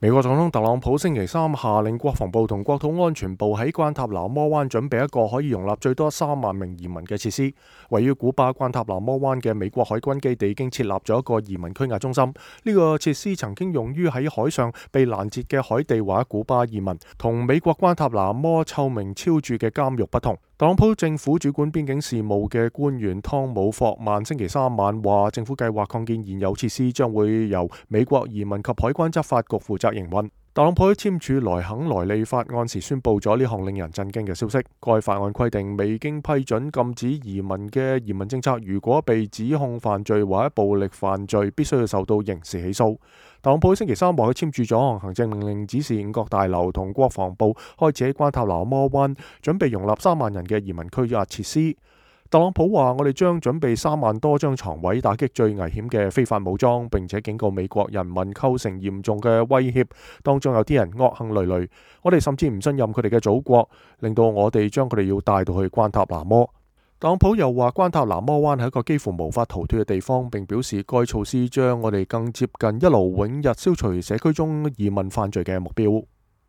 美國總統特朗普星期三下令國防部同國土安全部喺關塔那摩灣準備一個可以容納最多3萬名移民嘅設施。位於古巴關塔那摩灣嘅美國海軍基地已經設立咗一個移民拘押中心。呢個設施曾經用於喺海上被攔截嘅海地或古巴移民。同美國關塔那摩臭名昭著嘅監獄不同，特朗普政府主管邊境事務嘅官員湯姆霍曼星期三晚話，政府計劃擴建現有設施，將會由美國移民及海關執法局負責營運。特朗普喺簽署萊肯萊利法案時宣布咗呢項令人震驚嘅消息。該法案規定，未經批准禁止移民嘅移民政策，如果被指控犯罪或者暴力犯罪，必須要受到刑事起訴。特朗普星期三話佢簽署咗項行政命令，指示5角大樓同國防部開始喺關塔那摩灣準備容納3萬人嘅移民拘押設施。特朗普話：我哋將準備3萬多張床位，打擊最危險嘅非法武裝，並且警告美國人民構成嚴重嘅威脅。當中有啲人惡行累累，我哋甚至唔信任佢哋嘅祖國，令到我哋將佢哋要帶到去關塔那摩。特朗普又話：關塔那摩灣係一個幾乎無法逃脫嘅地方，並表示該措施將我哋更接近一勞永逸消除社區中移民犯罪嘅目標。